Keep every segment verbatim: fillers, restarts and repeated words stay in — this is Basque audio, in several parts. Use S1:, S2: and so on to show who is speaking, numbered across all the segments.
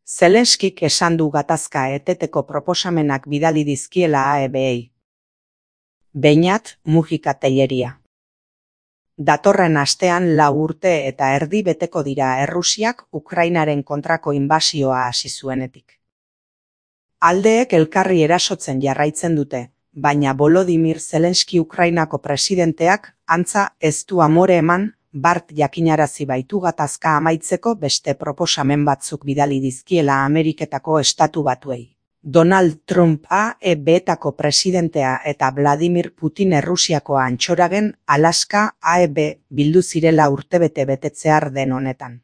S1: Zelenskik esan du gatazka eteteko proposamenak bidali dizkiela A E B-ei. Beñat Mujika Tellería. Datorren astean lau urte eta erdi beteko dira Errusiak Ukrainaren kontrako inbasioa hasi zuenetik. Aldeek elkarri erasotzen jarraitzen dute, baina Volodymyr Zelenski Ukrainako presidenteak antza ez du amore eman, bart jakinarazi baitu gatazka amaitzeko beste proposamen batzuk bidali dizkiela Ameriketako Estatu Batuei. Donald Trump A E B-etako presidentea eta Vladimir Putin Errusiako antxoragen Alaska A E B bildu zirela urtebete betetzear den honetan.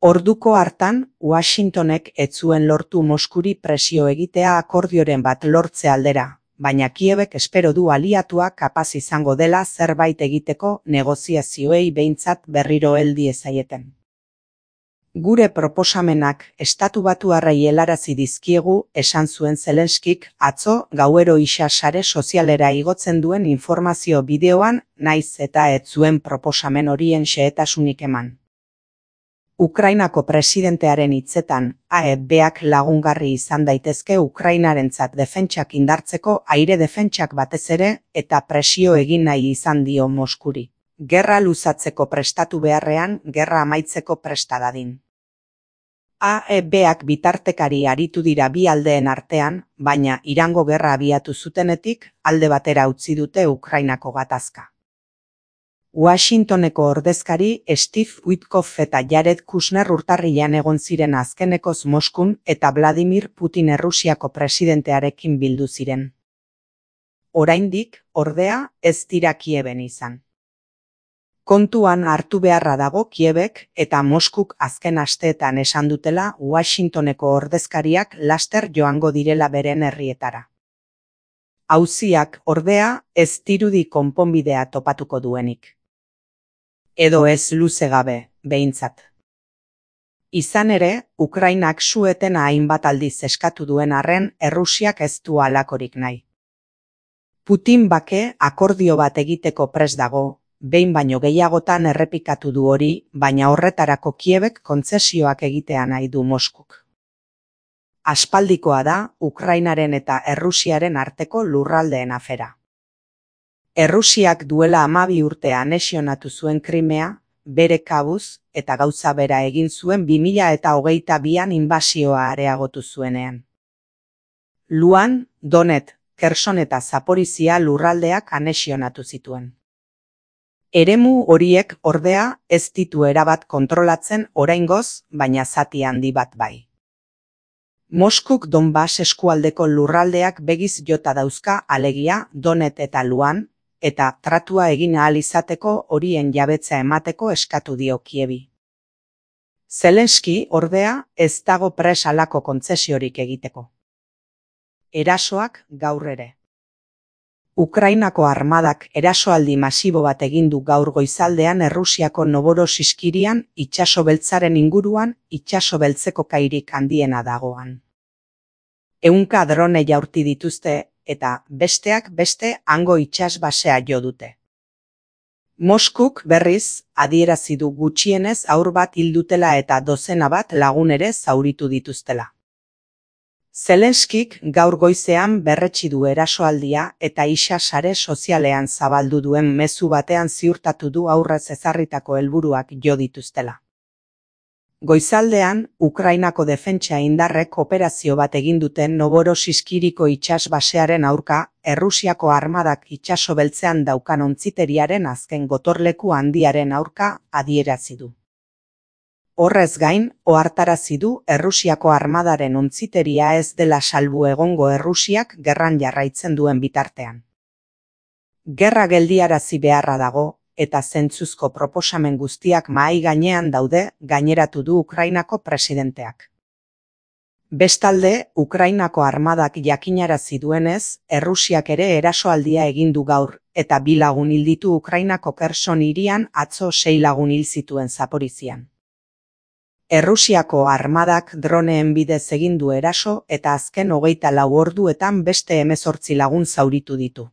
S1: Orduko hartan, Washingtonek ez zuen lortu Moskuri presio egitea akordioren bat lortze aldera, baina Kiebek espero du aliatuak kapaz izango dela zerbait egiteko negoziazioei behintzat berriro heldi ezaieten. Gure proposamenak Estatu Batuarrei helarazi dizkiegu, esan zuen Zelenskik atzo gauero isa sare sozialera igotzen duen informazio bideoan, naiz eta ez zuen proposamen horien xehetasunik eman. Ukrainako presidentearen hitzetan, A E B-ak lagungarri izan daitezke Ukrainarentzat defentsak indartzeko aire defentsak batez ere eta presio egin nahi izan dio Moskuri. Gerra luzatzeko prestatu beharrean, gerra amaitzeko presta dadin. A E B-ak bitartekari aritu dira bi aldeen artean, baina Irango gerra abiatu zutenetik alde batera utzi dute Ukrainako gatazka. Washingtoneko ordezkari Steve Witkoff eta Jared Kushner urtarrilean egon ziren azkenekoz Moskun eta Vladimir Putin Errusiako presidentearekin bildu ziren. Oraindik, ordea, ez dira Kieben izan. Kontuan hartu beharra dago Kiebek eta Moskuk azken asteetan esan dutela Washingtoneko ordezkariak laster joango direla beren herrietara. Auziak, ordea, ez dirudi konponbidea topatuko duenik. Edo ez luze gabe, behintzat. Izan ere, Ukrainak su-etena hainbat aldiz eskatu duen arren Errusiak ez du halakorik nahi. Putin bake akordio bat egiteko prest dago, behin baino gehiagotan errepikatu du hori, baina horretarako Kiebek kontzesioak egitea nahi du Moskuk. Aspaldikoa da Ukrainaren eta Errusiaren arteko lurraldeen afera. Errusiak duela hamabi urte anexionatu zuen Krimea, bere kabuz, eta gauza bera egin zuen bi mila eta hogeita bian inbasioa areagotu zuenean. Luan, Donet, Kherson eta Zaporizhia lurraldeak anexionatu zituen. Eremu horiek ordea ez ditu erabat kontrolatzen oraingoz, baina zati handi bat bai. Moskuk Donbas eskualdeko lurraldeak begiz jota dauzka alegia Donet eta Luan, eta tratua egin ahal izateko horien jabetza emateko eskatu dio Kiebi. Zelenski, ordea, ez dago pres halako kontzesiorik egiteko. Erasoak gaur ere. Ukrainako armadak erasoaldi masibo bat egin du gaur goizaldean Errusiako Novorossiyskirian, itsaso beltzaren inguruan, itsaso beltzeko kairik handiena dagoan. Ehunka drone jaurti dituzte, eta besteak beste hango itsas basea jo dute. Moskuk berriz adierazi du gutxienez haur bat hil dutela eta dozena bat lagun ere zauritu dituztela. Zelenskik gaur goizean berretsi du erasoaldia eta isa sare sozialean zabaldu duen mezu batean ziurtatu du aurrez ezarritako helburuak jo dituztela. Goizaldean, Ukrainako defentsa indarrek operazio bat egin duten Novorossiyskiriko itsas basearen aurka, Errusiako armadak itsaso beltzean daukan ontziteriaren azken gotorleku handiaren aurka adierazi du. Horrez gain, ohartarazi du Errusiako armadaren ontziteria ez dela salbu egongo Errusiak gerran jarraitzen duen bitartean. Gerra geldiarazi beharra dago, eta zentzuzko proposamen guztiak mahai gainean daude, gaineratu du Ukrainako presidenteak. Bestalde, Ukrainako armadak jakinarazi duenez, Errusiak ere erasoaldia egin du gaur, eta bi lagun hil ditu Ukrainako Kherson hirian atzo sei lagun hil zituen Zaporizhian. Errusiako armadak droneen bidez egin du eraso eta azken hogeita lau orduetan beste hemezortzi lagun zauritu ditu.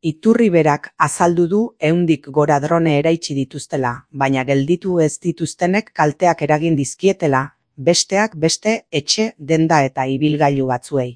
S1: Iturri berak azaldu du ehundik gora drone eraitsi dituztela, baina gelditu ez dituztenek kalteak eragin dizkietela, besteak beste etxe, denda eta ibilgailu batzuei.